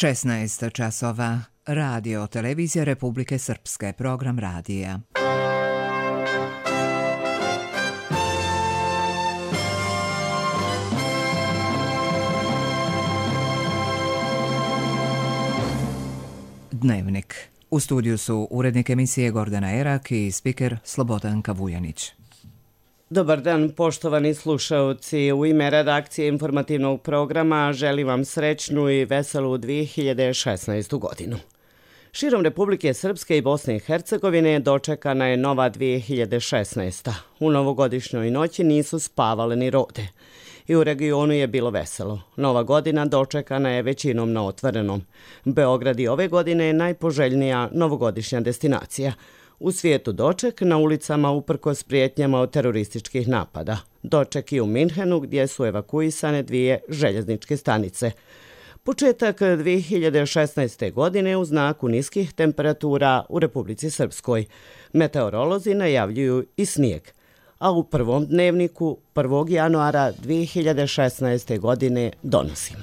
16 časova. Radio Televizija Republike Srpske. Program radija. Dnevnik. U studiju su urednik emisije Gordana Erak i spiker Slobodanka Vujanić. Dobar dan, poštovani slušaoci. U ime redakcije informativnog programa želim vam srećnu i veselu 2016. godinu. Širom Republike Srpske i Bosne i Hercegovine dočekana je nova 2016. U novogodišnjoj noći nisu spavale ni rode. I u regionu je bilo veselo. Nova godina dočekana je većinom na otvorenom. Beograd i ove godine je najpoželjnija novogodišnja destinacija. U svijetu doček na ulicama uprkos prijetnjama od terorističkih napada. Doček i u Minhenu gdje su evakuisane 2 željezničke stanice. Početak 2016. godine u znaku niskih temperatura u Republici Srpskoj. Meteorolozi najavljuju i snijeg. A u prvom dnevniku 1. januara 2016. godine donosimo.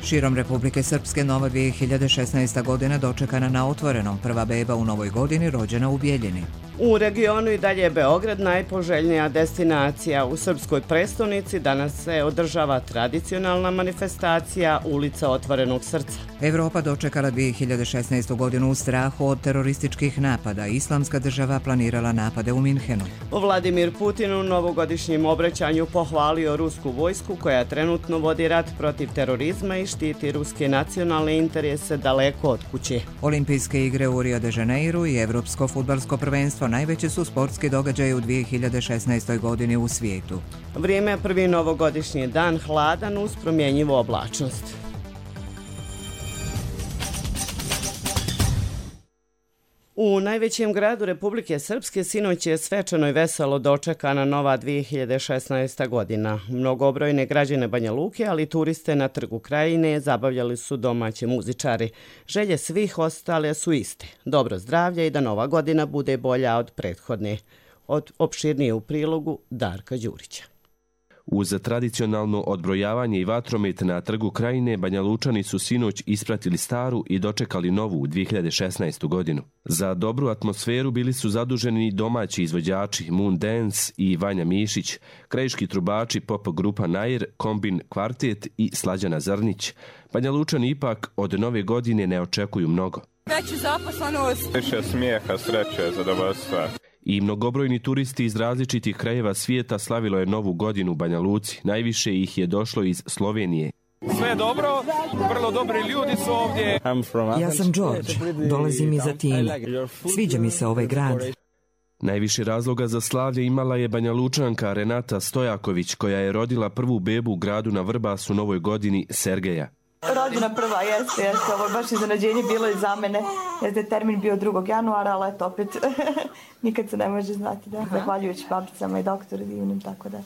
Širom Republike Srpske nova 2016. godina dočekana na otvorenom. Prva beba u novoj godini rođena u Bijeljini. U regionu i dalje je Beograd najpoželjnija destinacija. U srpskoj prestonici danas se održava tradicionalna manifestacija Ulica otvorenog srca. Evropa dočekala 2016. godinu u strahu od terorističkih napada. Islamska država planirala napade u Minhenu. Vladimir Putin u novogodišnjem obraćanju pohvalio rusku vojsku koja trenutno vodi rat protiv terorizma i štiti ruske nacionalne interese daleko od kuće. Olimpijske igre u Rio de Janeiru i Evropsko fudbalsko prvenstvo najveći su sportski događaji u 2016. godini u svijetu. Vrijeme je prvi novogodišnji dan hladan uz promjenjivu oblačnost. U najvećem gradu Republike Srpske sinoć je svečano i veselo dočekana nova 2016. godina. Mnogobrojne građane Banja Luke, ali i turiste na Trgu Krajine zabavljali su domaći muzičari. Želje svih ostale su iste. Dobro zdravlje i da nova godina bude bolja od prethodne. Od opširnije u prilogu Darka Đurića. Uz tradicionalno odbrojavanje i vatromet na Trgu Krajine, Banjalučani su sinoć ispratili staru i dočekali novu 2016. godinu. Za dobru atmosferu bili su zaduženi domaći izvođači Moon Dance i Vanja Mišić, krajiški trubači pop grupa Nair, Kombin Kvartet i Slađana Zrnić. Banjalučani ipak od nove godine ne očekuju mnogo. Veću zaposlenost. Više smijeha, sreće, zadovoljstva. I mnogobrojni turisti iz različitih krajeva svijeta slavilo je novu godinu u Banja Luci. Najviše ih je došlo iz Slovenije. Sve dobro, vrlo dobri ljudi su ovdje. Ja sam George, dolazim iz Atine. Sviđa mi se ovaj grad. Najviše razloga za slavlje imala je Banjalučanka Renata Stojaković, koja je rodila prvu bebu u gradu na Vrbasu novoj godini, Sergeja. Rođena prva, jeste, ovo je baš iznenađenje bilo i za mene, jeste termin bio 2. januara, ali eto opet nikad se ne može znati, da, zahvaljujući babicama i doktoru divnim, tako da.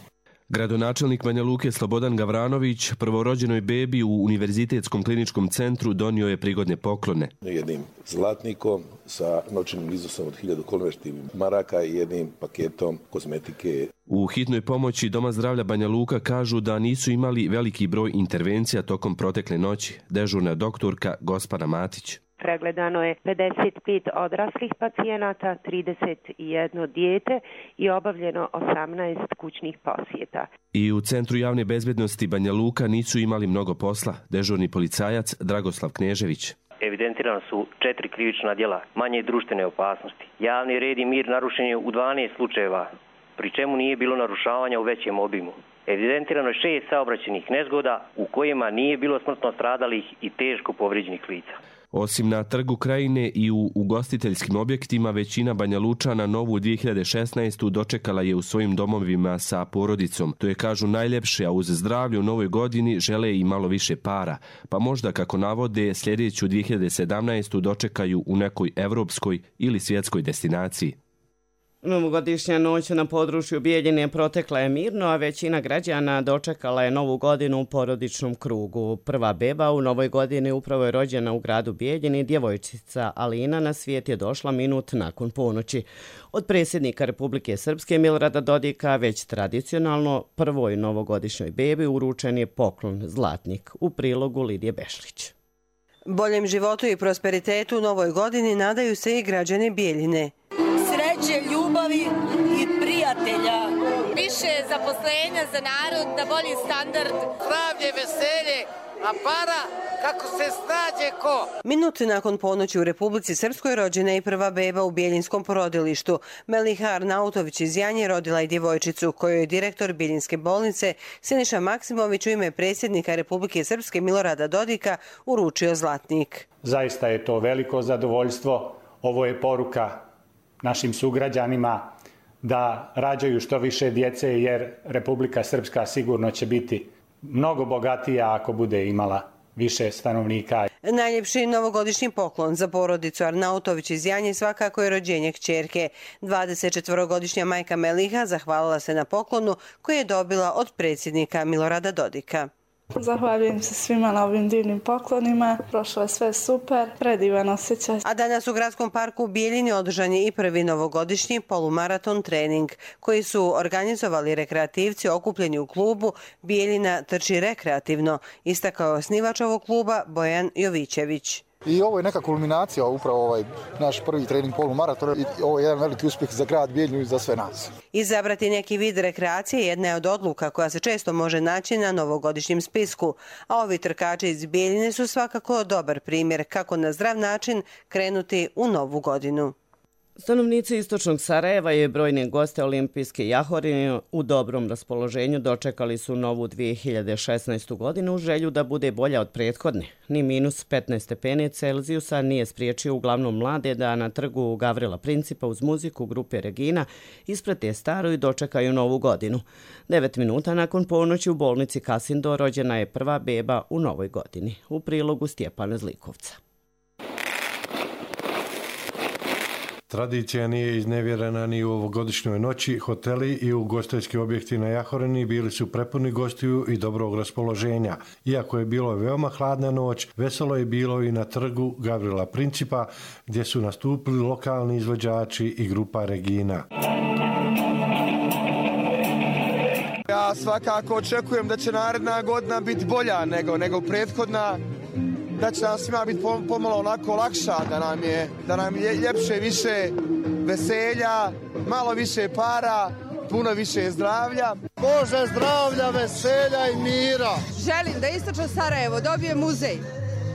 Gradonačelnik Banja Luke Slobodan Gavranović prvorođenoj bebi u Univerzitetskom kliničkom centru donio je prigodne poklone. Jednim zlatnikom sa novčanim iznosom od 1000 konvertibilnih maraka i jednim paketom kozmetike. U hitnoj pomoći Doma zdravlja Banja Luka kažu da nisu imali veliki broj intervencija tokom protekle noći. Dežurna doktorka Gospana Matić. Pregledano je 55 odraslih pacijenata, 31 dijete i obavljeno 18 kućnih posjeta. I u Centru javne bezbednosti Banja Luka nisu imali mnogo posla. Dežurni policajac Dragoslav Knežević. Evidentirano su 4 krivična djela manje društvene opasnosti. Javni red i mir narušen je u 12 slučajeva, pri čemu nije bilo narušavanja u većem obimu. Evidentirano je 6 saobraćajnih nezgoda u kojima nije bilo smrtno stradalih i teško povrijeđenih lica. Osim na Trgu Krajine i u ugostiteljskim objektima, većina Banjalučana novu 2016. dočekala je u svojim domovima sa porodicom. To je, kažu, najljepše, a uz zdravlje u novoj godini žele i malo više para. Pa možda, kako navode, sljedeću 2017. dočekaju u nekoj evropskoj ili svjetskoj destinaciji. Novogodišnja noć na području Bijeljine protekla je mirno, a većina građana dočekala je novu godinu u porodičnom krugu. Prva beba u novoj godini upravo je rođena u gradu Bijeljini. Djevojčica Alina na svijet je došla minut nakon ponoći. Od predsjednika Republike Srpske Milorada Dodika već tradicionalno prvoj novogodišnjoj bebi uručen je poklon zlatnik. U prilogu Lidije Bešlić. Boljem životu i prosperitetu u novoj godini nadaju se i građani Bijeljine. Sreće, ljubavi i prijatelja. Više zaposlenja za narod, da bolji standard. Zdravlje, veselje, a para kako se snađe ko. Minut nakon ponoći u Republici Srpskoj rođena je prva beba u Bijeljinskom porodilištu. Meliha Arnautović iz Janje rodila je djevojčicu kojoj je direktor Bijeljinske bolnice Siniša Maksimović u ime predsjednika Republike Srpske Milorada Dodika uručio zlatnik. Zaista je to veliko zadovoljstvo. Ovo je poruka našim sugrađanima da rađaju što više djece, jer Republika Srpska sigurno će biti mnogo bogatija ako bude imala više stanovnika. Najljepši novogodišnji poklon za porodicu Arnautović iz Janje svakako je rođenje kćerke. 24-godišnja majka Meliha zahvalila se na poklonu koji je dobila od predsjednika Milorada Dodika. Zahvaljujem se svima na ovim divnim poklonima. Prošlo je sve super, predivan osjećaj. A danas u Gradskom parku u Bijeljini održan je i prvi novogodišnji polumaraton trening koji su organizovali rekreativci okupljeni u klubu Bijeljina trči rekreativno, istakao je osnivač ovog kluba Bojan Jovićević. I ovo je neka kulminacija, upravo ovaj naš prvi trening polumaraton i ovo je jedan veliki uspjeh za grad Bijeljinu i za sve nas. Izabrati neki vid rekreacije jedna je od odluka koja se često može naći na novogodišnjem spisku, a ovi trkači iz Bijeljine su svakako dobar primjer kako na zdrav način krenuti u novu godinu. Stanovnici istočnog Sarajeva i brojne goste olimpijske jahorine u dobrom raspoloženju dočekali su novu 2016. godinu u želju da bude bolja od prethodne. Ni minus 15 stepeni Celzijusa nije spriječio uglavnom mlade da na trgu Gavrila Principa uz muziku grupe Regina isprate staru i dočekaju novu godinu. 9 minuta nakon ponoći u bolnici Kasindo rođena je prva beba u novoj godini. U prilogu Stjepana Zlikovca. Tradicija nije iznevjerena ni u ovogodišnjoj noći. Hoteli i ugostiteljski objekti na Jahorini bili su prepuni gostiju i dobrog raspoloženja. Iako je bilo veoma hladna noć, veselo je bilo i na trgu Gavrila Principa, gdje su nastupili lokalni izvođači i grupa Regina. Ja svakako očekujem da će naredna godina biti bolja nego prethodna. Da će nam svima biti pomalo onako lakša, da nam je ljepše, više veselja, malo više para, puno više zdravlja. Bože zdravlja, veselja i mira. Želim da istočno Sarajevo dobije muzej,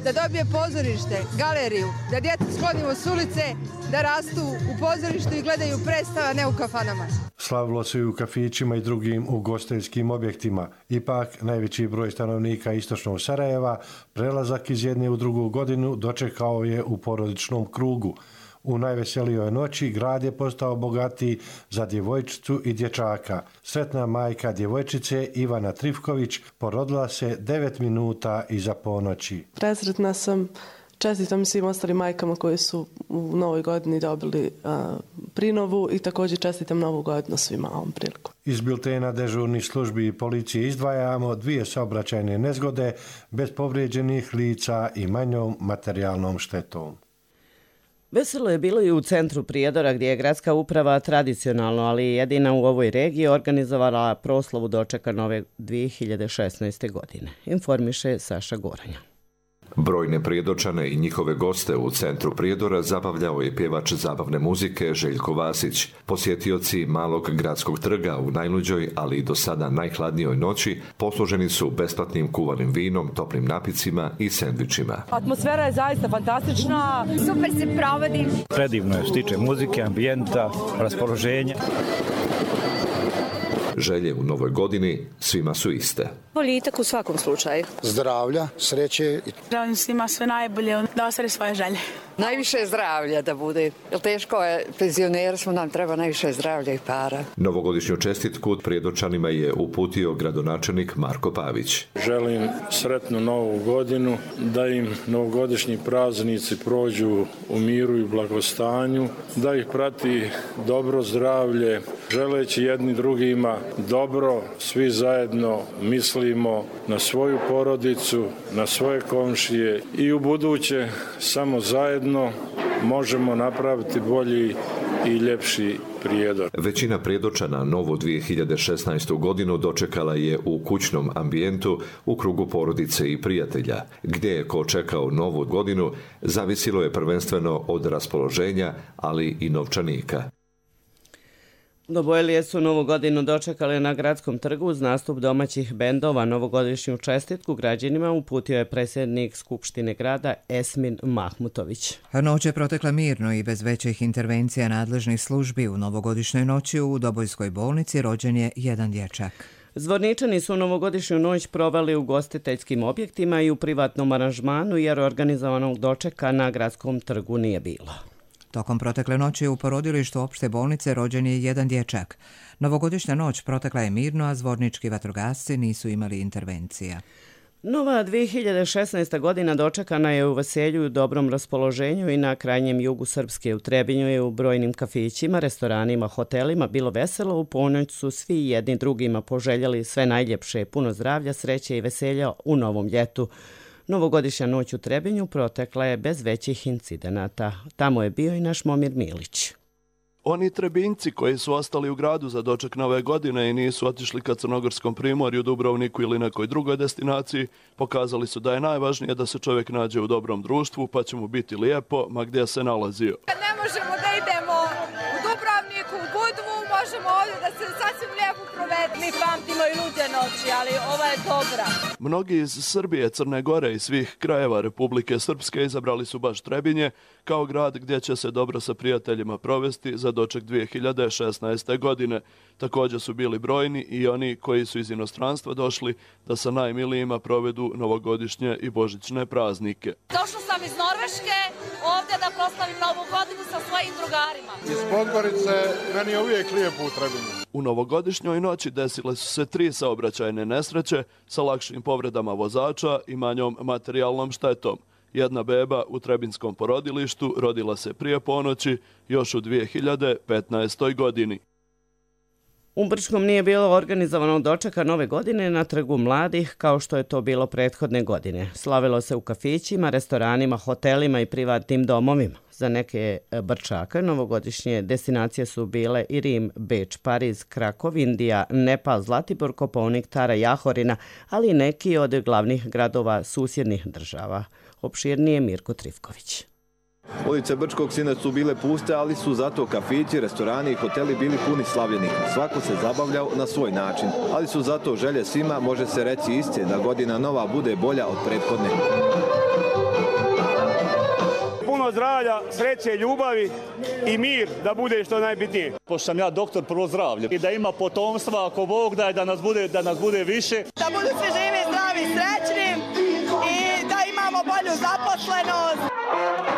da dobije pozorište, galeriju, da djecu sklonimo s ulice, da rastu u pozorištu i gledaju predstava, ne u kafanama. Slavilo se i u kafićima i drugim ugostiteljskim objektima. Ipak, najveći broj stanovnika istočnog Sarajeva prelazak iz jedne u drugu godinu dočekao je u porodičnom krugu. U najveselijoj noći grad je postao bogatiji za djevojčicu i dječaka. Sretna majka djevojčice Ivana Trifković porodila se 9 minuta iza ponoći. Presretna sam. Čestitam svim ostalim majkama koji su u novoj godini dobili prinovu i također čestitam novu godinu svima ovom priliku. Iz biltena dežurnih službi i policije izdvajamo 2 saobraćajne nezgode bez povrijeđenih lica i manjom materijalnom štetom. Veselo je bilo i u centru Prijedora gdje je gradska uprava tradicionalno, ali jedina u ovoj regiji organizovala proslavu dočeka nove 2016. godine. Informiše Saša Goranja. Brojne Prijedočane i njihove goste u centru Prijedora zabavljao je pjevač zabavne muzike Željko Vasić. Posjetioci malog gradskog trga u najluđoj, ali i do sada najhladnijoj noći posluženi su besplatnim kuvanim vinom, toplim napicima i sendvičima. Atmosfera je zaista fantastična. Super se provodi. Predivno je što tiče muzike, ambijenta, raspoloženja. Želje u novoj godini svima su iste. Boljitak u svakom slučaju. Zdravlja, sreće. Želim svima sve najbolje da ostvare svoje želje. Najviše zdravlja da bude, jer teško je, penzioneri smo, nam treba najviše zdravlja i para. Novogodišnju čestitku Prijedočanima je uputio gradonačelnik Marko Pavić. Želim sretnu novu godinu, da im novogodišnji praznici prođu u miru i blagostanju, da ih prati dobro zdravlje, želeći jedni drugima dobro, svi zajedno mislimo na svoju porodicu, na svoje komšije i u buduće samo zajedno možemo napraviti bolji i ljepši Prijedor. Većina Prijedočana novu 2016. godinu dočekala je u kućnom ambijentu u krugu porodice i prijatelja. Gdje je ko čekao novu godinu, zavisilo je prvenstveno od raspoloženja, ali i novčanika. Dobojlije su novu godinu dočekali na Gradskom trgu uz nastup domaćih bendova. Novogodišnju čestitku građanima uputio je predsjednik Skupštine grada Esmin Mahmutović. Noć je protekla mirno i bez većih intervencija nadležnih službi. U novogodišnjoj noći u Dobojskoj bolnici rođen je jedan dječak. Zvorničani su novogodišnju noć proveli u gostiteljskim objektima i u privatnom aranžmanu jer organizovanog dočeka na Gradskom trgu nije bilo. Tokom protekle noći u porodilištu opšte bolnice rođen je jedan dječak. Novogodišnja noć protekla je mirno, a zvornički vatrogasci nisu imali intervencija. Nova 2016. godina dočekana je u veselju i u dobrom raspoloženju i na krajnjem jugu Srpske. U Trebinju je u brojnim kafićima, restoranima, hotelima bilo veselo. U ponoć su svi jedni drugima poželjeli sve najljepše, puno zdravlja, sreće i veselja u novom ljetu. Novogodišnja noć u Trebinju protekla je bez većih incidenata. Tamo je bio i naš Momir Milić. Oni Trebinjci koji su ostali u gradu za doček nove godine i nisu otišli ka Crnogorskom primorju, Dubrovniku ili nekoj drugoj destinaciji, pokazali su da je najvažnije da se čovjek nađe u dobrom društvu, pa će mu biti lijepo, ma gdje se nalazio. Ne možemo da idemo u Dubrovniku, u Budvu, možemo ovdje da se sasvim lijepo provede. Mi pamtimo i luđe noći, ali ova je dobra. Mnogi iz Srbije, Crne Gore i svih krajeva Republike Srpske izabrali su baš Trebinje kao grad gdje će se dobro sa prijateljima provesti za doček 2016. godine. Također su bili brojni i oni koji su iz inostranstva došli da sa najmilijima provedu novogodišnje i božićne praznike. Došla sam iz Norveške ovdje da proslavim novu godinu sa svojim drugarima. Iz Podgorice meni je uvijek lijepo u Trebinju. U novogodišnjoj noći desile su se 3 saobraćajne nesreće sa lakšim povredama vozača i manjom materijalnom štetom. Jedna beba u Trebinskom porodilištu rodila se prije ponoći još u 2015. godini. U Brčkom nije bilo organizovanog dočeka nove godine na Trgu mladih kao što je to bilo prethodne godine. Slavilo se u kafićima, restoranima, hotelima i privatnim domovima. Za neke Brčaka novogodišnje destinacije su bile i Rim, Beč, Pariz, Krakov, Indija, Nepal, Zlatibor, Kopaonik, Tara, Jahorina, ali i neki od glavnih gradova susjednih država. Opširnije Mirko Trifković. Ulice Brčkog sinoć su bile puste, ali su zato kafići, restorani i hoteli bili puni slavljenika. Svako se zabavljao na svoj način, ali su zato želje svima, može se reći iste, da godina nova bude bolja od prethodne. Puno zdravlja, sreće, ljubavi i mir da bude što najbitnije. Pošto sam ja doktor, prvo zdravlje i da ima potomstva, ako Bog daje da nas bude više. Da budu svi živi, zdravi, srećni i da imamo bolju zaposlenost.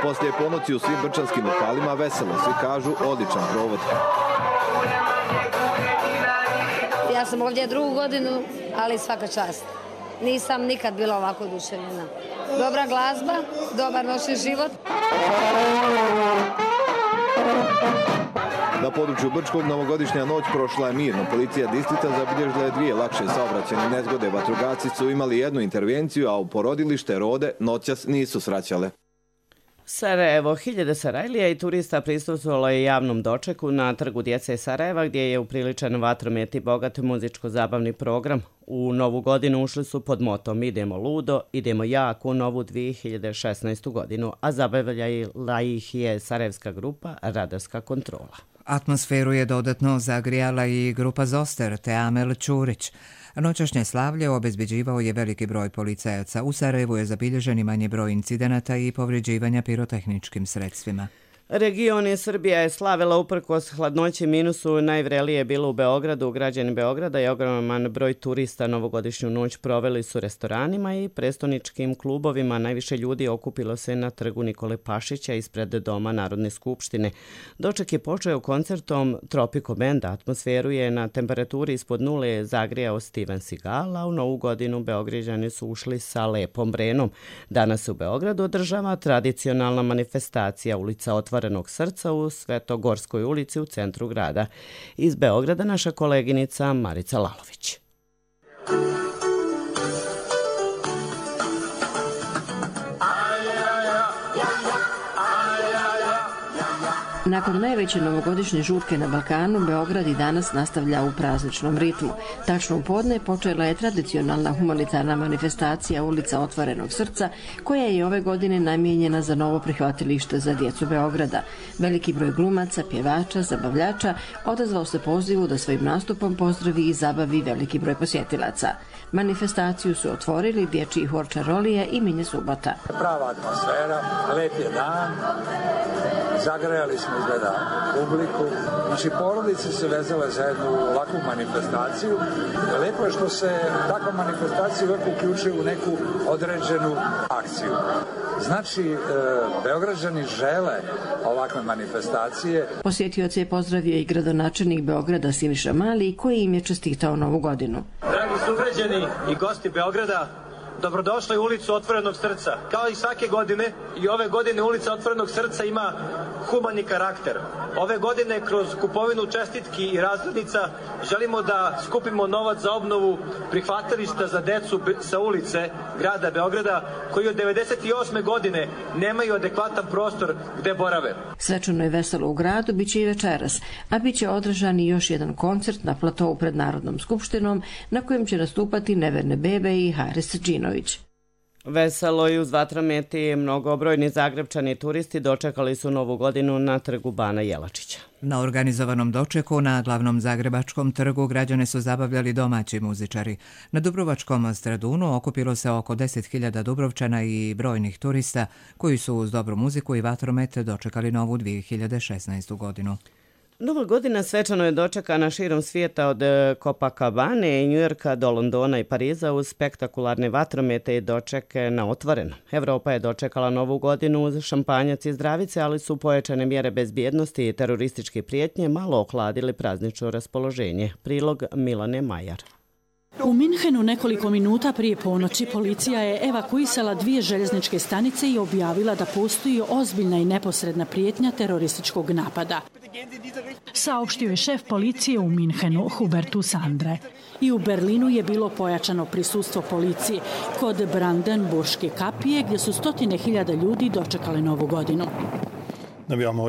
Poslije ponoći u svim brčanskim lokalima veselo, svi kažu odličan provod. Ja sam ovdje 2. godinu, ali svaka čast. Nisam nikad bila ovako oduševljena. Dobra glazba, dobar noćni život. Na području Brčkog novogodišnja noć prošla je mirno. Policija distrikta zabilježila je 2 lakše saobraćajne nezgode. Vatrogasci su imali 1 intervenciju, a u porodilište Rode noćas nisu sraćale. Sarajevo, hiljade Sarajlija i turista prisustvovalo je javnom dočeku na Trgu djece Sarajeva gdje je upriličan vatromet i bogat muzičko-zabavni program. U novu godinu ušli su pod motom Idemo ludo, idemo jako u novu 2016. godinu, a zabavljala ih je sarajevska grupa Radarska kontrola. Atmosferu je dodatno zagrijala i grupa Zoster te Amel Ćurić. Noćašnje slavlje obezbeđivao je veliki broj policajaca. U Sarajevu je zabilježen i manji broj incidenata i povređivanja pirotehničkim sredstvima. Regioni Srbija je slavila uprkos hladnoći minusu. Najvrelije je bilo u Beogradu. Građani Beograda i ogroman broj turista novogodišnju noć proveli su restoranima i prestoničkim klubovima. Najviše ljudi okupilo se na trgu Nikole Pašića ispred Doma Narodne skupštine. Doček je počeo koncertom Tropico Band. Atmosferu je na temperaturi ispod nule zagrijao Steven Seagal, a u Novu godinu Beograđani su ušli sa lepom brenom. Danas se u Beogradu održava tradicionalna manifestacija Ulica otvorenog srca u Svetogorskoj ulici u centru grada. Iz Beograda naša koleginica Marica Lalović. Nakon najveće novogodišnje žurke na Balkanu, Beograd i danas nastavlja u prazničnom ritmu. Tačno u podne počela je tradicionalna humanitarna manifestacija Ulica otvorenog srca, koja je ove godine namijenjena za novo prihvatilište za djecu Beograda. Veliki broj glumaca, pjevača, zabavljača odazvao se pozivu da svojim nastupom pozdravi i zabavi veliki broj posjetilaca. Manifestaciju su otvorili dječji hor Čarolija i Minje Subota. Prava atmosfera, lep je dan, zagrejali smo izgleda publiku. Znači, porodice se vezale za jednu ovakvu manifestaciju. Lepo je što se takva manifestacija uvijek uključuje u neku određenu akciju. Znači, Beograđani žele ovakve manifestacije. Posjetioce je pozdravio i gradonačelnik Beograda Siniša Mali, koji im je čestitao Novu godinu. Dragi sugrađani i gosti Beograda, dobrodošli u Ulicu otvorenog srca. Kao i svake godine, i ove godine Ulica otvorenog srca ima humani karakter. Ove godine kroz kupovinu čestitki i razglednica želimo da skupimo novac za obnovu prihvatilišta za decu sa ulice grada Beograda, koji od 1998. godine nemaju adekvatan prostor gde borave. Svečano je veselo u gradu, bit će i večeras, a bit će održan i još jedan koncert na platovu pred Narodnom skupštinom, na kojem će nastupati Neverne bebe i Haris Džinović. Veselo i uz vatrometi mnogobrojni Zagrebčani turisti dočekali su Novu godinu na trgu Bana Jelačića. Na organizovanom dočeku na glavnom zagrebačkom trgu građane su zabavljali domaći muzičari. Na Dubrovačkom Stradunu okupilo se oko 10.000 Dubrovčana i brojnih turista koji su uz dobru muziku i vatromet dočekali novu 2016. godinu. Nova godina svečano je dočekana širom svijeta od Copacabane i Njujorka do Londona i Pariza uz spektakularne vatromete i dočeke na otvoreno. Evropa je dočekala Novu godinu uz šampanjac i zdravice, ali su pojačane mjere bezbjednosti i terorističke prijetnje malo ohladili praznično raspoloženje. Prilog Milane Majar. U Minhenu nekoliko minuta prije ponoći policija je evakuisala 2 željezničke stanice i objavila da postoji ozbiljna i neposredna prijetnja terorističkog napada. Saopštio je šef policije u Minhenu, Hubertus Andre. I u Berlinu je bilo pojačano prisustvo policije kod Brandenburške kapije, gdje su 100.000 ljudi dočekali Novu godinu.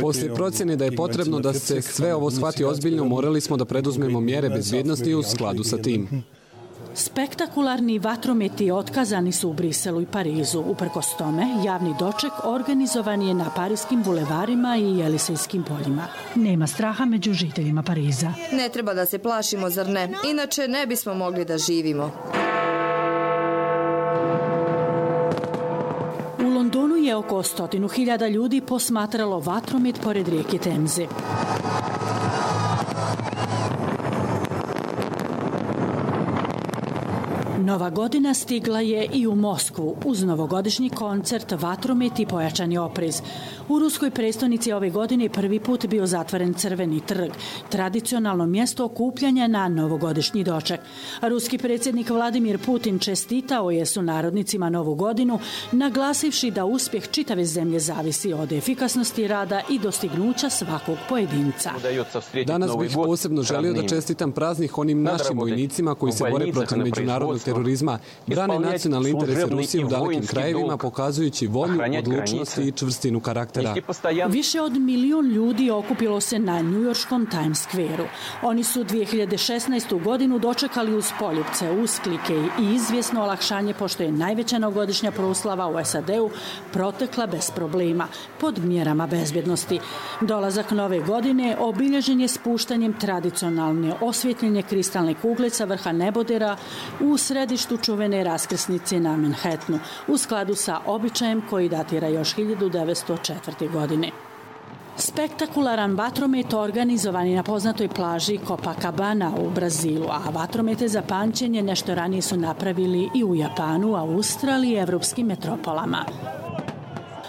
Poslije procjene da je potrebno da se sve ovo shvati ozbiljno, morali smo da preduzmemo mjere bezbjednosti u skladu sa tim. Spektakularni vatrometi otkazani su u Briselu i Parizu. Uprkos tome, javni doček organizovan je na parijskim bulevarima i Jelisejskim poljima. Nema straha među žiteljima Pariza. Ne treba da se plašimo, zar ne? Inače ne bismo mogli da živimo. U Londonu je oko 100.000 ljudi posmatralo vatromet pored rijeke Temze. Nova godina stigla je i u Moskvu uz novogodišnji koncert, vatromet i pojačani oprez. U ruskoj prestonici ove godine prvi put bio zatvoren Crveni trg, tradicionalno mjesto okupljanja na novogodišnji doček. Ruski predsjednik Vladimir Putin čestitao je sunarodnicima Novu godinu, naglasivši da uspjeh čitave zemlje zavisi od efikasnosti rada i dostignuća svakog pojedinca. Danas bih posebno želio da čestitam praznik onim našim vojnicima koji se bore protiv međunarodnog terorizma, brane nacionalne interese Rusije u dalekim krajevima, pokazujući volju, odlučnost i čvrstinu karaktera. Više od 1 milion ljudi okupilo se na njujorškom Times Square-u. Oni su 2016. godinu dočekali uz poljupce, usklike i izvjesno olakšanje, pošto je najveća novogodišnja proslava u SAD-u protekla bez problema, pod mjerama bezbjednosti. Dolazak nove godine obilježen je spuštanjem tradicionalne osvjetljenje kristalne kugle sa vrha nebodera u središtu čuvene raskrsnice na Manhattanu, u skladu sa običajem koji datira još 1904. godine. Spektakularan vatromet organizovan je na poznatoj plaži Copacabana u Brazilu, a vatromete za pamćenje nešto ranije su napravili i u Japanu, Australiji i evropskim metropolama.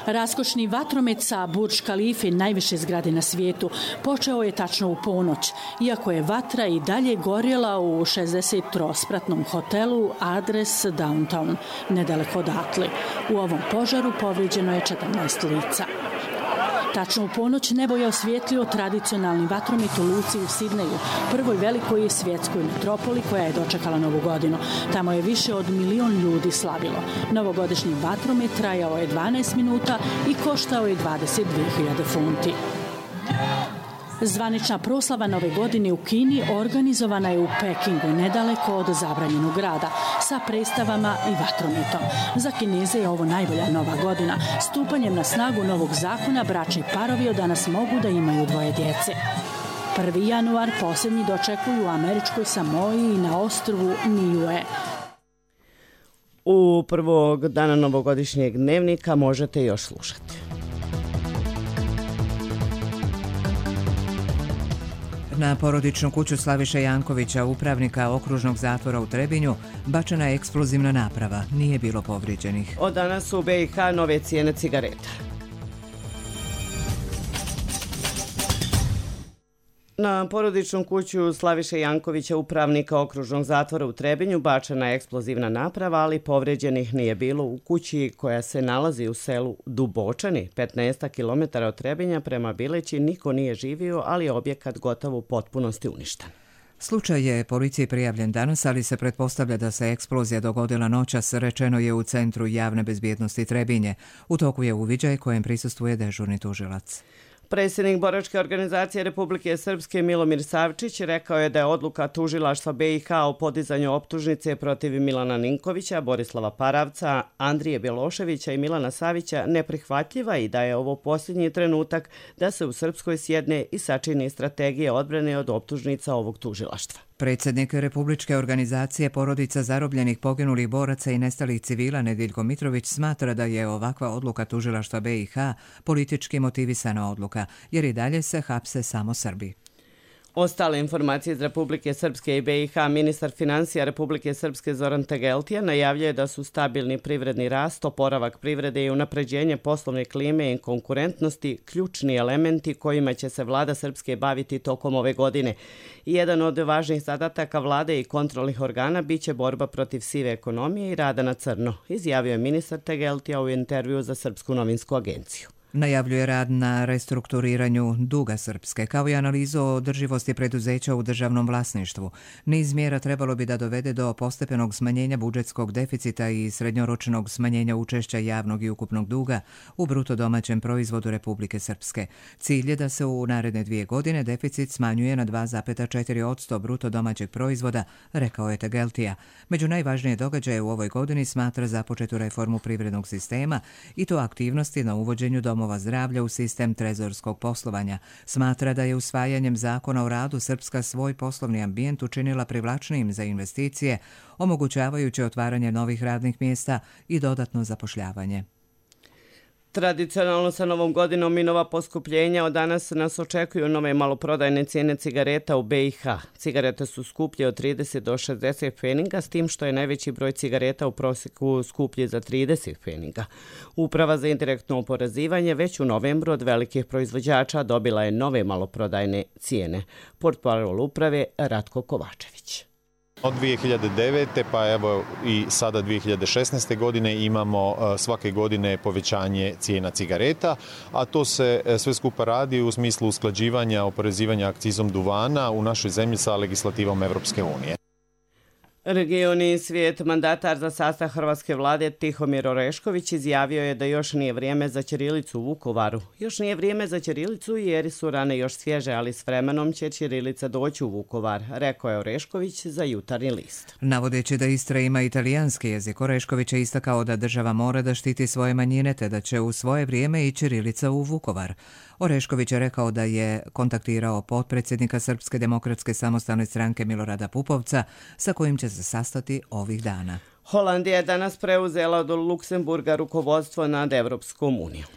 Raskošni vatromet sa Burj Khalife, najviše zgrade na svijetu, počeo je tačno u ponoć, iako je vatra i dalje gorjela u 63-spratnom hotelu Adres Downtown, nedaleko odatle. U ovom požaru povrijeđeno je 14 lica. Tačno u ponoć nebo je osvijetlio tradicionalni vatromet u luci u Sidneju, prvoj velikoj svjetskoj metropoli koja je dočekala Novu godinu. Tamo je više od 1 milion ljudi slavilo. Novogodišnji vatromet trajao je 12 minuta i koštao je 22.000 funti. Zvanična proslava Nove godine u Kini organizovana je u Pekingu, nedaleko od zabranjenog grada, sa predstavama i vatrometom. Za Kineze je ovo najbolja Nova godina. Stupanjem na snagu novog zakona bračni parovi od danas mogu da imaju 2 djece. 1. januar posljednji dočekuju u američkoj Samoji i na ostrvu Niue. U prvog dana novogodišnjeg dnevnika možete još slušati. Na porodičnu kuću Slaviše Jankovića, upravnika okružnog zatvora u Trebinju, bačena je eksplozivna naprava. Nije bilo povrijeđenih. Od danas su u BiH nove cijene cigareta. Na porodičnu kuću Slaviše Jankovića, upravnika okružnog zatvora u Trebinju, bačena je eksplozivna naprava, ali povrijeđenih nije bilo u kući koja se nalazi u selu Dubočani, 15 km od Trebinja prema Bileći. Niko nije živio, ali je objekat gotovo u potpunosti uništen. Slučaj je policiji prijavljen danas, ali se pretpostavlja da se eksplozija dogodila noćas, rečeno je u Centru javne bezbjednosti Trebinje. U toku je uviđaj kojem prisustvuje dežurni tužilac. Predsjednik Boračke organizacije Republike Srpske Milomir Savčić rekao je da je odluka tužilaštva BiH o podizanju optužnice protiv Milana Ninkovića, Borislava Paravca, Andrije Bjeloševića i Milana Savića neprihvatljiva i da je ovo posljednji trenutak da se u Srpskoj sjedne i sačini strategije odbrane od optužnica ovog tužilaštva. Predsjednik Republičke organizacije porodica zarobljenih, poginulih boraca i nestalih civila Nediljko Mitrović smatra da je ovakva odluka tužilaštva BiH politički motivisana odluka, jer i dalje se hapse samo Srbi. Ostale informacije iz Republike Srpske i BiH, ministar financija Republike Srpske Zoran Tegeltija najavljuje da su stabilni privredni rast, oporavak privrede i unapređenje poslovne klime i konkurentnosti ključni elementi kojima će se vlada Srpske baviti tokom ove godine. Jedan od važnih zadataka vlade i kontrolnih organa biće borba protiv sive ekonomije i rada na crno, izjavio je ministar Tegeltija u intervju za Srpsku novinsku agenciju. Najavljuje rad na restrukturiranju duga Srpske, kao i analizu o održivosti preduzeća u državnom vlasništvu. Niz mjera trebalo bi da dovede do postepenog smanjenja budžetskog deficita i srednjoročnog smanjenja učešća javnog i ukupnog duga u bruto domaćem proizvodu Republike Srpske. Cilj je da se u naredne 2 godine deficit smanjuje na 2,4% bruto domaćeg proizvoda, rekao je Tegeltija. Među najvažnije događaje u ovoj godini smatra započetu reformu privrednog sistema i to aktivnosti na uvođenju domova zdravlja u sistem trezorskog poslovanja. Smatra da je usvajanjem zakona o radu Srpska svoj poslovni ambijent učinila privlačnijim za investicije, omogućavajući otvaranje novih radnih mjesta i dodatno zapošljavanje. Tradicionalno sa Novom godinom i nova poskupljenja od danas nas očekuju nove maloprodajne cijene cigareta u BiH. Cigarete su skuplje od 30 do 60 pfeninga, s tim što je najveći broj cigareta u prosjeku skuplji za 30 pfeninga. Uprava za indirektno oporezivanje već u novembru od velikih proizvođača dobila je nove maloprodajne cijene. Portparol uprave Ratko Kovačević. Od 2009. pa evo i sada 2016. godine imamo svake godine povećanje cijena cigareta, a to se sve skupa radi u smislu usklađivanja oporezivanja akcizom duvana u našoj zemlji sa legislativom Evropske unije. Regioni svijet mandatar za sastav hrvatske vlade Tihomir Orešković izjavio je da još nije vrijeme za ćirilicu u Vukovaru. Još nije vrijeme za ćirilicu jer su rane još svježe, ali s vremenom će ćirilica doći u Vukovar, rekao je Orešković za Jutarnji list. Navodeći da Istra ima italijanski jezik, Orešković je istakao da država mora da štiti svoje manjine te da će u svoje vrijeme i ćirilica u Vukovar. Orešković je rekao da je kontaktirao potpredsjednika Srpske demokratske samostalne stranke Milorada Pupovca, sa kojim će se sastati ovih dana. Holandija je danas preuzela od Luksemburga rukovodstvo nad Evropskom unijom.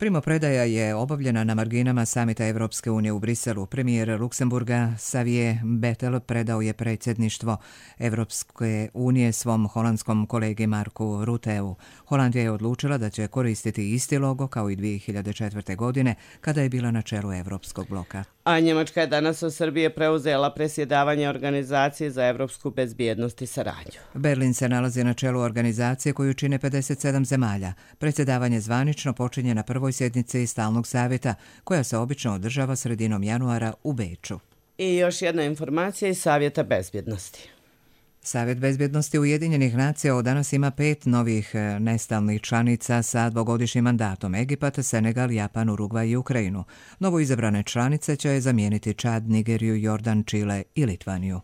Primopredaja je obavljena na marginama samita Evropske unije u Briselu. Premijer Luksemburga Xavier Bettel predao je predsjedništvo Evropske unije svom holandskom kolegi Marku Ruteu. Holandija je odlučila da će koristiti isti logo kao i 2004. godine kada je bila na čelu Evropskog bloka. A Njemačka je danas od Srbije preuzela presjedavanje Organizacije za evropsku bezbjednost i saradnju. Berlin se nalazi na čelu organizacije koju čine 57 zemalja. Predsjedavanje zvanično počinje na prvoj sjednici Stalnog savjeta, koja se obično održava sredinom januara u Beču. I još jedna informacija iz Savjeta bezbjednosti. Savjet bezbjednosti Ujedinjenih nacija od danas ima 5 novih nestalnih članica sa dvogodišnjim mandatom: Egipat, Senegal, Japan, Urugvaj i Ukrajinu. Novo izabrane članice će zamijeniti Čad, Nigeriju, Jordan, Čile i Litvaniju.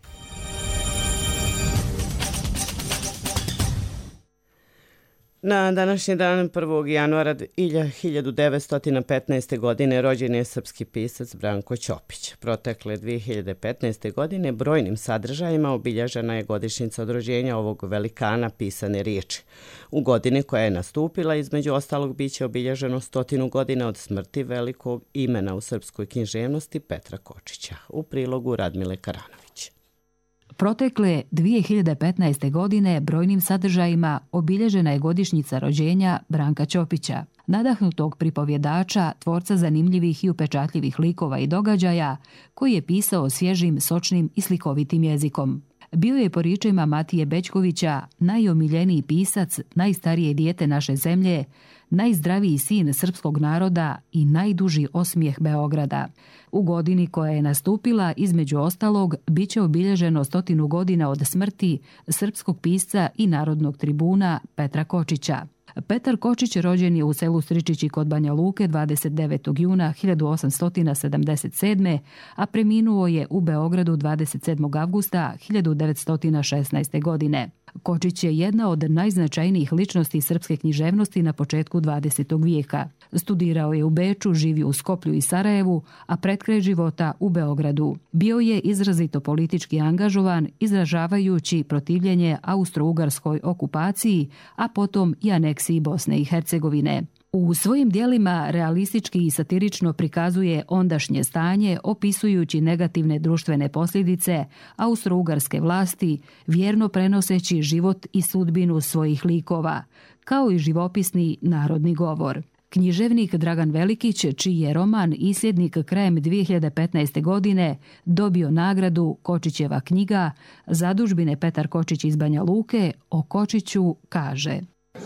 Na današnji dan 1. januara 1915. godine rođen je srpski pisac Branko Ćopić. Protekle 2015. godine brojnim sadržajima obilježena je godišnjica od rođenja ovog velikana pisane riječi. U godini koja je nastupila, između ostalog, biće obilježeno 100 godina od smrti velikog imena u srpskoj književnosti Petra Kočića. U prilogu Radmile Karanović. Protekle 2015. godine brojnim sadržajima obilježena je godišnjica rođenja Branka Ćopića, nadahnutog pripovjedača, tvorca zanimljivih i upečatljivih likova i događaja, koji je pisao svježim, sočnim i slikovitim jezikom. Bio je po riječima Matije Bećkovića najomiljeniji pisac, najstarije dijete naše zemlje, najzdraviji sin srpskog naroda i najduži osmijeh Beograda. U godini koja je nastupila, između ostalog, bit će obilježeno 100 godina od smrti srpskog pisca i narodnog tribuna Petra Kočića. Petar Kočić rođen je u selu Stričići kod Banja Luke 29. juna 1877. a preminuo je u Beogradu 27. avgusta 1916. godine. Kočić je jedna od najznačajnijih ličnosti srpske književnosti na početku 20. vijeka. Studirao je u Beču, živio u Skoplju i Sarajevu, a pred kraj života u Beogradu. Bio je izrazito politički angažovan, izražavajući protivljenje austro-ugarskoj okupaciji, a potom i aneksiji Bosne i Hercegovine. U svojim dijelima realistički i satirično prikazuje ondašnje stanje, opisujući negativne društvene posljedice austro-ugarske vlasti, vjerno prenoseći život i sudbinu svojih likova, kao i živopisni narodni govor. Književnik Dragan Velikić, čiji je roman Isljednik krajem 2015. godine dobio nagradu Kočićeva knjiga, zadužbine Petar Kočić iz Banja Luke, o Kočiću kaže: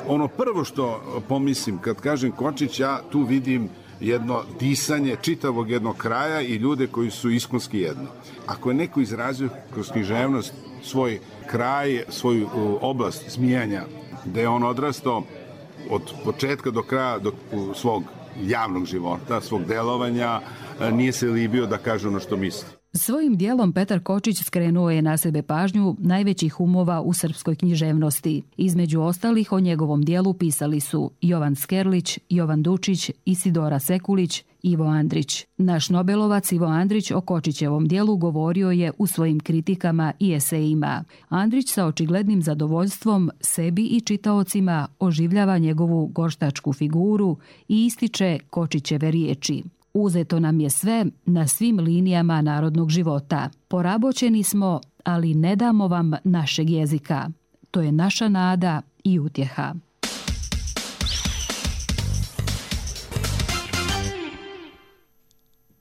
Ono prvo što pomislim kad kažem Kočić, ja tu vidim jedno disanje čitavog jednog kraja i ljude koji su iskonski jedno. Ako je neko izrazio kroz književnost svoj kraj, svoju oblast smijanja, gde je on odrastao od početka do kraja svog javnog života, svog delovanja, nije se libio da kaže ono što misli. Svojim dijelom Petar Kočić skrenuo je na sebe pažnju najvećih umova u srpskoj književnosti. Između ostalih o njegovom dijelu pisali su Jovan Skerlić, Jovan Dučić, Isidora Sekulić, Ivo Andrić. Naš nobelovac Ivo Andrić o Kočićevom dijelu govorio je u svojim kritikama i esejima. Andrić sa očiglednim zadovoljstvom sebi i čitaocima oživljava njegovu gorštačku figuru i ističe Kočićeve riječi: Uzeto nam je sve na svim linijama narodnog života. Poraboćeni smo, ali ne damo vam našeg jezika. To je naša nada i utjeha.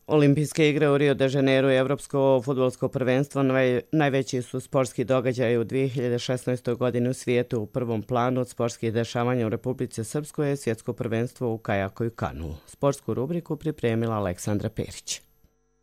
Olimpijske igre u Rio de Janeiro i Evropsko fudbalsko prvenstvo najveći su sportski događaj u 2016. godini u svijetu. U prvom planu od sportskih dešavanja u Republici Srpskoj je svjetsko prvenstvo u kajaku i kanu. Sportsku rubriku pripremila Aleksandra Perić.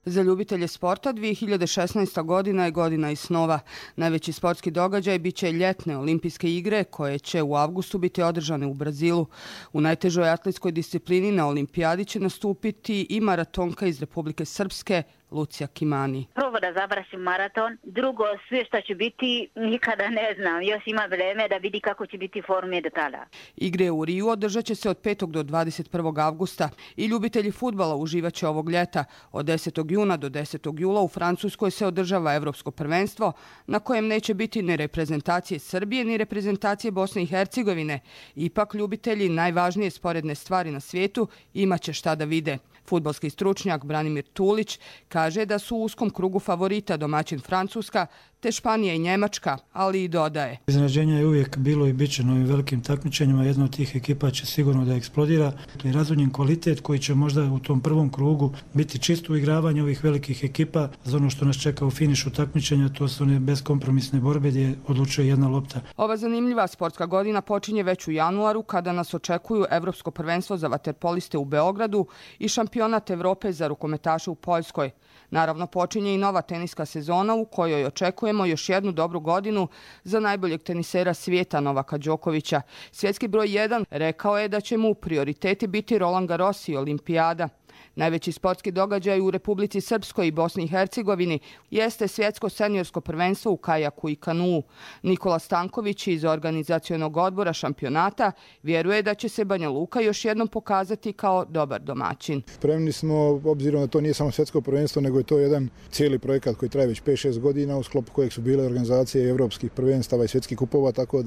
Za ljubitelje sporta 2016. godina je godina i snova. Najveći sportski događaj biće ljetne olimpijske igre koje će u avgustu biti održane u Brazilu. U najtežoj atletskoj disciplini na olimpijadi će nastupiti i maratonka iz Republike Srpske Lucija Kimani. Prvo da završim maraton, drugo sve što će biti nikada ne znam, još ima vreme da vidi kako će biti forme do tada. Igre u Riju održat će se od 5. do 21. avgusta i ljubitelji fudbala uživaće ovog ljeta. Od 10. juna do 10. jula u Francuskoj se održava Evropsko prvenstvo na kojem neće biti ni reprezentacije Srbije ni reprezentacije Bosne i Hercegovine. Ipak ljubitelji najvažnije sporedne stvari na svijetu imaće šta da vide. Fudbalski stručnjak Branimir Tulić kaže da su u uskom krugu favorita domaćin Francuska, te Španija i Njemačka, ali i dodaje. Iznenađenja je uvijek bilo i bit će na ovim velikim takmičenjima. Jedna od tih ekipa će sigurno da eksplodira. To je razvodnjen kvalitet koji će možda u tom prvom krugu biti čisto uigravanje ovih velikih ekipa. Za ono što nas čeka u finišu takmičenja, to su one beskompromisne borbe gdje odlučuje jedna lopta. Ova zanimljiva sportska godina počinje već u januaru kada nas očekuju Evropsko prvenstvo za vaterpoliste u Beogradu i šampionat Evrope za rukometaše u Poljskoj. Naravno, počinje i nova teniska sezona u kojoj očekujemo još jednu dobru godinu za najboljeg tenisera svijeta Novaka Đokovića. Svjetski broj 1 rekao je da će mu prioriteti biti Roland Garros i Olimpijada. Najveći sportski događaj u Republici Srpskoj i Bosni i Hercegovini jeste svjetsko seniorsko prvenstvo u kajaku i kanuu. Nikola Stanković iz organizacionog odbora šampionata vjeruje da će se Banja Luka još jednom pokazati kao dobar domaćin. Spremni smo, obzirom da to nije samo svjetsko prvenstvo, nego je to jedan cijeli projekat koji traje već 5-6 godina, u sklopu kojeg su bile organizacije evropskih prvenstava i svjetskih kupova, tako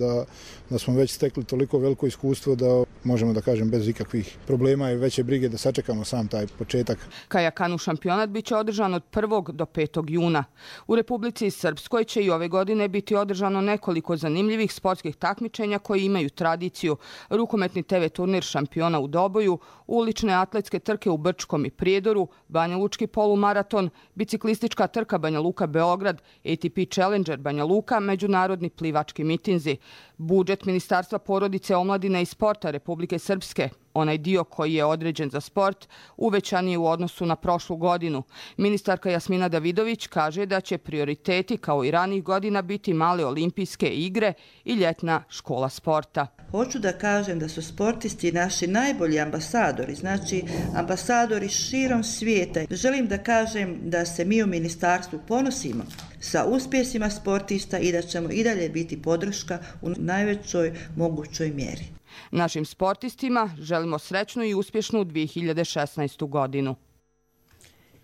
da smo već stekli toliko veliko iskustvo da možemo da kažem bez ikakvih problema i veće brige da sačekamo sam taj početak. Kajakanu šampionat biće održan od 1. do 5. juna. U Republici Srpskoj će i ove godine biti održano nekoliko zanimljivih sportskih takmičenja koji imaju tradiciju. Rukometni TV turnir šampiona u Doboju, ulične atletske trke u Brčkom i Prijedoru, Banja Lučki polumaraton, biciklistička trka Banja Luka Beograd, ATP Challenger Banja Luka, međunarodni plivački mitinzi. Budžet Ministarstva porodice, omladine i sporta Republike Srpske, onaj dio koji je određen za sport, uvećan je u odnosu na prošlu godinu. Ministarka Jasmina Davidović kaže da će prioriteti kao i ranih godina biti male olimpijske igre i ljetna škola sporta. Hoću da kažem da su sportisti naši najbolji ambasadori, znači ambasadori širom svijeta. Želim da kažem da se mi u ministarstvu ponosimo sa uspjesima sportista i da ćemo i dalje biti podrška u najvećoj mogućoj mjeri. Našim sportistima želimo srećnu i uspješnu 2016. godinu.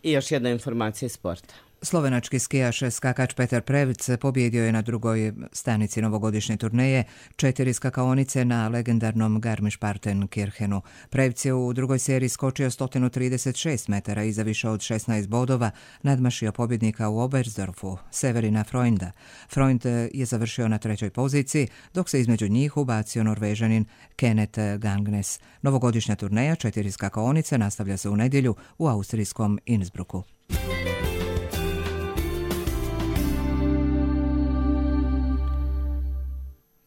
I još jedna informacija iz sporta. Slovenački skijaš skakač Petar Prevc pobjedio je na drugoj stanici novogodišnje turneje 4 skakaonice na legendarnom Garmisch-Partenkirchenu. Prevc je u drugoj seriji skočio 136 metara iza više od 16 bodova, nadmašio pobjednika u Oberstdorfu, Severina Freunda. Freund je završio na 3. poziciji, dok se između njih ubacio Norvežanin Kenneth Gangnes. Novogodišnja turneja 4 skakaonice nastavlja se u nedjelju u austrijskom Innsbrucku.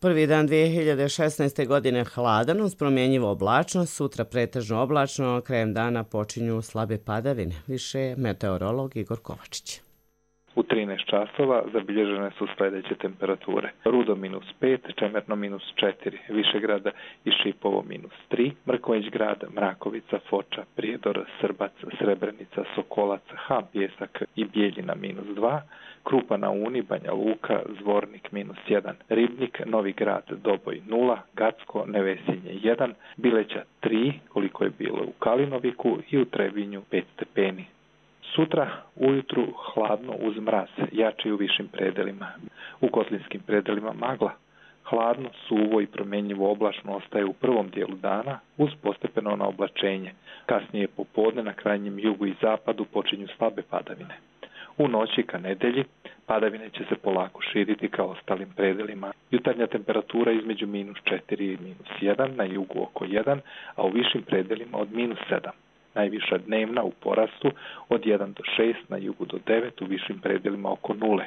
Prvi dan 2016. godine hladan uz promjenjivu oblačnost, sutra pretežno oblačno, krajem dana počinju slabe padavine. Više meteorolog Igor Kovačić. U 13 časova zabilježene su sljedeće temperature. Rudo -5, Čemerno -4, Višegrad i Šipovo -3, Mrkonjić grad, Mrakovica, Foča, Prijedor, Srbac, Srebrenica, Sokolac, Han Pjesak i Bijeljina -2, Krupa na Uni, Banja Luka, Zvornik -1, Ribnik, Novi grad, Doboj 0, Gacko, Nevesinje 1, Bileća 3, koliko je bilo u Kalinoviku i u Trebinju 5 stepeni. Sutra ujutru hladno uz mraz, jači u višim predelima. U kotlinskim predelima magla. Hladno, suvo i promjenjivo oblačno ostaje u prvom dijelu dana uz postepeno naoblačenje. Kasnije popodne na krajnjem jugu i zapadu počinju slabe padavine. U noći ka nedelji padavine će se polako širiti kao ostalim predelima. Jutarnja temperatura između -4 i -1, na jugu oko 1, a u višim predelima od -7. Najviša dnevna u porastu od 1 do 6, na jugu do 9, u višim predelima oko 0.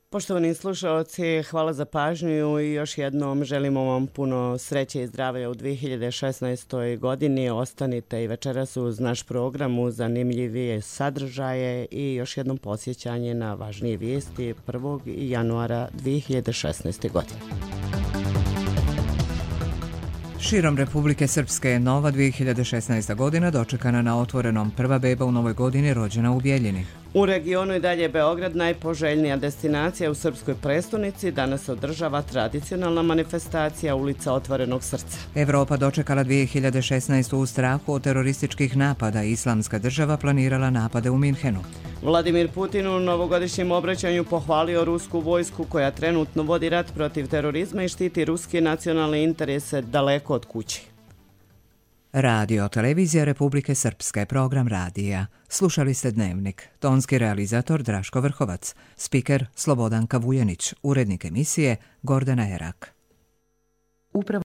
Poštovani slušalci, hvala za pažnju i još jednom želimo vam puno sreće i zdravlja u 2016. godini. Ostanite i večeras uz naš program uz zanimljivije sadržaje i još jednom podsjećanje na važnije vijesti 1. januara 2016. godine. Širom Republike Srpske je nova 2016. godina dočekana na otvorenom. Prva beba u novoj godini rođena u Bijeljini. U regionu i dalje Beograd najpoželjnija destinacija u srpskoj prestonici. Danas se održava tradicionalna manifestacija Ulica otvorenog srca. Evropa dočekala 2016. u strahu od terorističkih napada. Islamska država planirala napade u Minhenu. Vladimir Putin u novogodišnjem obraćanju pohvalio rusku vojsku koja trenutno vodi rat protiv terorizma i štiti ruske nacionalne interese daleko od kuće. Radio Televizija Republike Srpske, program radija. Slušali ste Dnevnik. Tonski realizator Draško Vrhovac. Spiker Slobodanka Vujanić. Urednik emisije Gordana Erak.